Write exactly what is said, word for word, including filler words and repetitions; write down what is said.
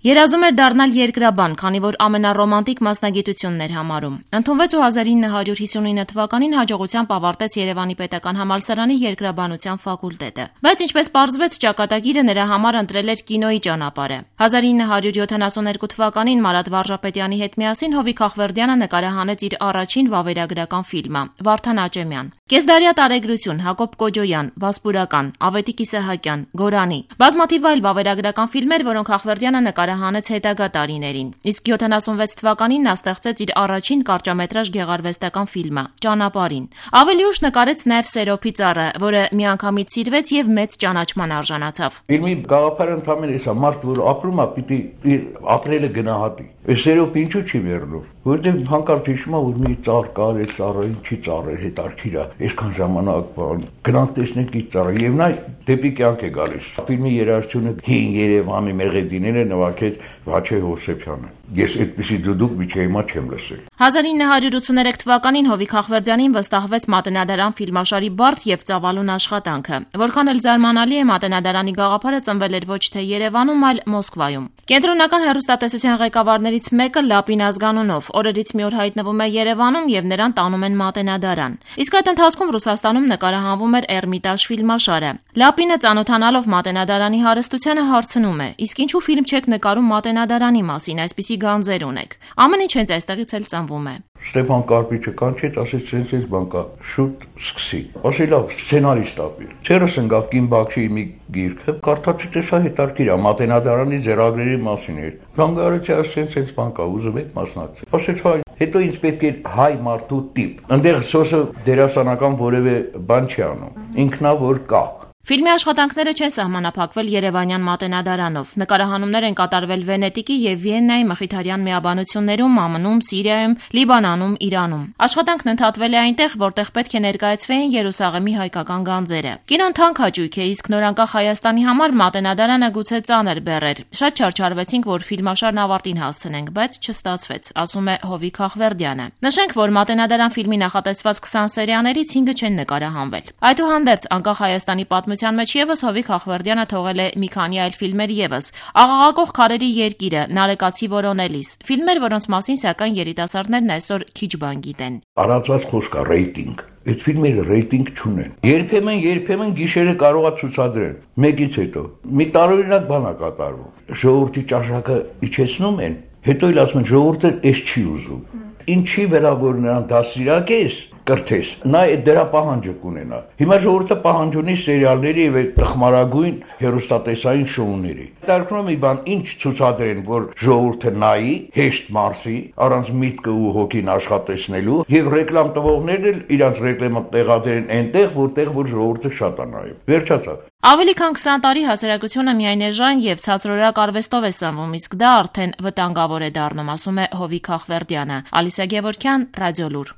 Երազում էր դառնալ երկրաբան, քանի որ ամենառոմանտիկ մասնագիտությունն էր համարում։ Ընդունվեց ու հազար ինը հարյուր հիսունինը թվականին հաջողությամբ ավարտեց Երևանի պետական համալսարանի երկրաբանության ֆակուլտետը։ Բայց ինչպես պարզվեց, ճակատագիրը նրա համար ընտրել էր կինոյի ճանապարհը։ հազար ինը հարյուր յոթանասուններկու թվականին Մարատ Վարժապետյանի հետ միասին Հովիկ Խախվերդյանը նկարահանեց իր առաջին վավերագրական ֆիլմը՝ Վարդան Աճեմյան։ Կեսդարյա տարեգրություն, Հակոբ Կոջոյան, Վասպուրական, Ավետիք Իսահակյան, Գորանի։ Բազմաթիվ այլ վավերագրական ֆիլմեր, որոնք Խախվերդյանը նկարահանեց հետագա տարիներին։ Իսկ յոթանասունվեց թվականին նա ստեղծեց իր առաջին կարճամետրաժ գեղարվեստական ֆիլմը՝ Ճանապարհին։ Ավելի ուշ նկարեց նաև Սերոփի ծառը, որը միանգամից սիրվեց եւ մեծ ճանաչման արժանացավ։ Ֆիլմի գաղափարը ընդհանրապես էսա, մարդ որ ապրում է, պիտի իր ապրելը գնահատի։ Սերոփ ինչու չի վերնում, որովհետեւ հանկարծ հիշում է, որ մի ծառ կար, այդ ծառը ինչի ծառ էր, հետարքիր է, այսքան ժամանակ բան, գնանք տեսնենք իր ծառը, եւ նա դեպի կյանք է գալիս։ Ֆիլմի երաժշտությունը հին Երևանի մեղեդիները նվագեց Վաչե Հովսեփյանը։ Ես այդպիսի դուդուկ միջի հիմա չեմ լսել։ հազար ինը հարյուր ութսուներեք թվականին Հովիկ Խախվերդյանին վստահվեց Մատենադարան ֆիլմաշարի բարդ եւ ծավալուն աշխատանքը։ Որքան էլ զարմանալի է, Մատենադարանի գաղափարը ծնվել էր ոչ թե Երևանում, այլ Մոսկվայում։ Կենտրոնական հեռուստատեսության ղեկավարներից մեկը Լապին Ազգանունով օրերից մի օր հայտնվում է Երևանում եւ նրան տանում են Մատենադարան։ Իսկ այդ ընթացքում Ռուսաստանում նկարահանվում էր Էրմիտաժ ֆիլմաշարը։ Լապինը ծանոթանալով Մատենադարանի հարստությանը հարցնում է. իսկ ինչու ֆիլմ չեք նկարում Մատենադարանի մասին, այսպիսի գանձեր ունեք։ Ամեն ինչ հենց այստեղից էլ ծնվում է։ Ստեփան Կարպիչը կանչեց, ասեց sense բան կա, շուտ սկսի։ Ասի լավ, սցենարիստ ապիր։ Ցերս ընկավ Կին Բաքշիի մի գիրքը, կարդացի տեսա հետարքիր է, Մատենադարանի ձեռագրերի մասին էր։ Գանգարեցի, ասեց sense բան կա, ուզում եք մասնակցել։ Ասեց հայ, հետո ինձ պետք է հայ մարդու տիպ։ Այնտեղ սոսը դերասանական որևէ բան չի անում։ Ինքնա որ կա։ Ֆիլմի աշխատանքները չեն սահմանափակվել Երևանյան Մատենադարանով։ Նկարահանումներ են կատարվել Վենետիկի եւ Վիեննայի մխիթարյան միաբանություններում, ԱՄՆ-ում, Սիրիայում, Լիբանանում, Իրանում։ Աշխատանքն ընդհատվել է այնտեղ, որտեղ պետք է ներկայացվեին Երուսաղեմի հայկական գանձերը։ Կինոն թանկ հաճույք է, իսկ նորանկախ Հայաստանի համար Մատենադարանը գուցե ծանր բեռ էր։ Շատ չարչարվեցինք, որ ֆիլմաշարն ավարտին հասցնենք, բայց չստացվեց, ասում է Հովիկ Խախվերդյանը։ Նշենք, որ Մատենադարան ֆիլմի նախատեսված քսան սերիաներից հինգը չեն նկարահանվել։ Այդուհանդերձ, անկախ Հայաստանի պատմության մեջ եւս Հովիկ Խախվերդյանը թողել է մի քանի այլ ֆիլմեր եւս՝ Աղաղակող քարերի երկիրը, Նարեկացի որոնելիս, ֆիլմեր, որոնց մասին սակայն երիտասարդներն այսօր քիչ բան գիտեն։ Արածված խոսք է ռեյտինգ։ Այդ ֆիլմերը ռեյտինգ չունեն։ Երբեմն, երբեմն գիշերը կարող է ցուցադրեն։ Մեկից հետո մի տարօրինակ բան է կատարվում։ Ժողովրդի ճաշակը իջեցնում են, հետո էլ ասում են ժողովուրդը էս չի ուզում։ Ինչի վրա որ նրան դասիրակես կրթես, նա դրա պահանջը կունենա։ Հիմա ժողովուրդը պահանջ ունի սերիալների եւ տխմարագույն հեռուստատեսային շոուների։ Դարձնում մի բան, ինչ ցուցադրեն, որ ժողովուրդը նայի, հեշտ մարսի, առանց միտքը ու հոգին աշխատեցնելու, եւ ռեկլամ տվողներն էլ իրանց ռեկլամը տեղադրեն այնտեղ, որտեղ որ ժողովուրդը շատ է նայում։ Վերջացավ։ Ավելի քան քսան տարի հասարակությունը միայն էժան եւ ցածրորակ արվեստով է սնվում, իսկ դա արդեն վտանգավոր է դառնում, ասում է Հովիկ Խախվերդյանը։ Ալիսա Գևորգյան, Ռադիոլուր։